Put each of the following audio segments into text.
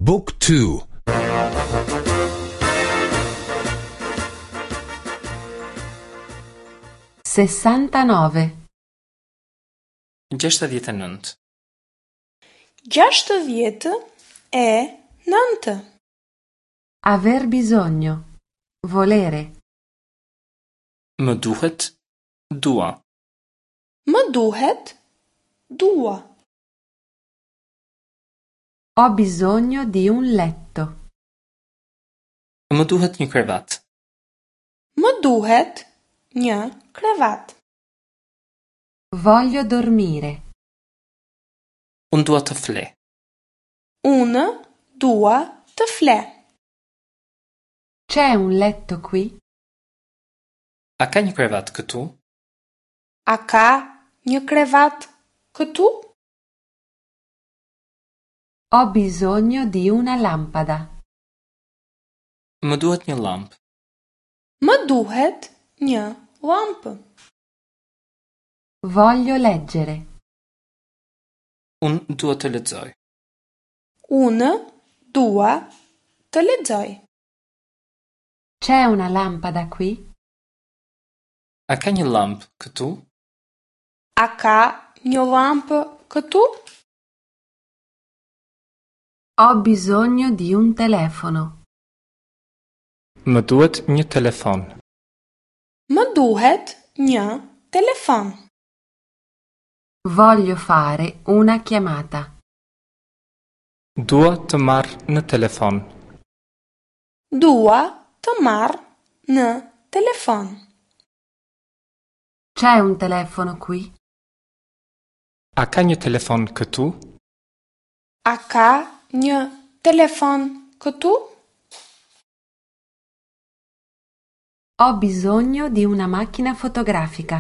บุ๊กทู 69. 69. 69. Aver bisogno. Volere. Më duhet, dua. Më duhet, dua. Ho bisogno di un letto. Më duhet një krevat. Më duhet një krevat. Voglio dormire. Unë dua të fle. Unë dua të fle. C'è un letto qui? A ka një krevat këtu? A ka një krevat këtu? Ho bisogno di una lampada. Më duhet një llampë. Më duhet një llampë. Voglio leggere. Unë dua të lexoj. Unë dua të lexoj. C'è una lampada qui? A ka një llampë këtu? A ka një llampë këtu? Ho bisogno di un telefono. Më duhet një telefon. Më duhet një telefon. Voglio fare una chiamata. Dua të marr në telefon. Dua të marr në telefon. C'è un telefono qui? A ka një telefon këtu? A ka një telefon këtu? Ho bisogno di una macchina fotografica.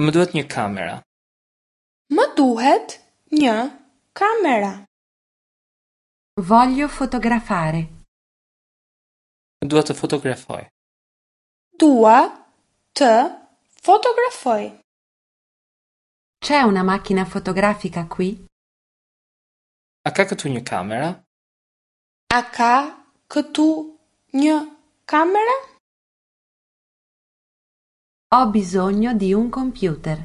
Më duhet një kamera. Më duhet një kamera. Voglio fotografare. Dua të fotografoj. Dua të fotografoj. C'è una macchina fotografica qui? A ka këtu një kamera? A ka këtu një kamera? Ho bisogno di un computer.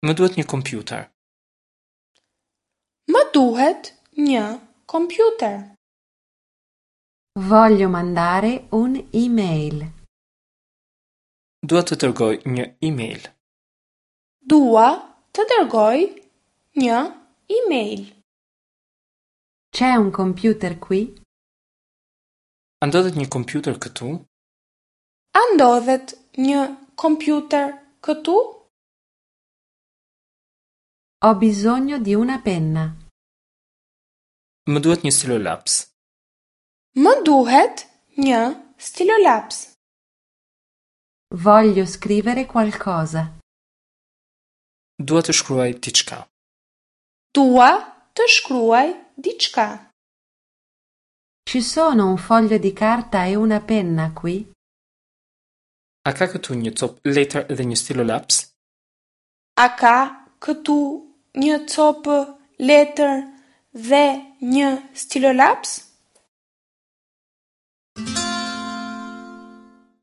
Më duhet një kompjuter. Më duhet një kompjuter. Voglio mandare un email. Dua të dërgoj një email. Dua të dërgoj një email. C'è un computer qui? A ndodhet një kompjuter këtu? A ndodhet një kompjuter këtu? Ho bisogno di una penna. Më duhet një stilolaps. Më duhet një stilolaps. Voglio scrivere qualcosa. Dua të shkruaj diçka. Dua të shkruaj diçka. Ci sono un foglio di carta e una penna qui? A ka këtu një copë letër dhe një stilolaps? A ka këtu një copë letër dhe një stilolaps?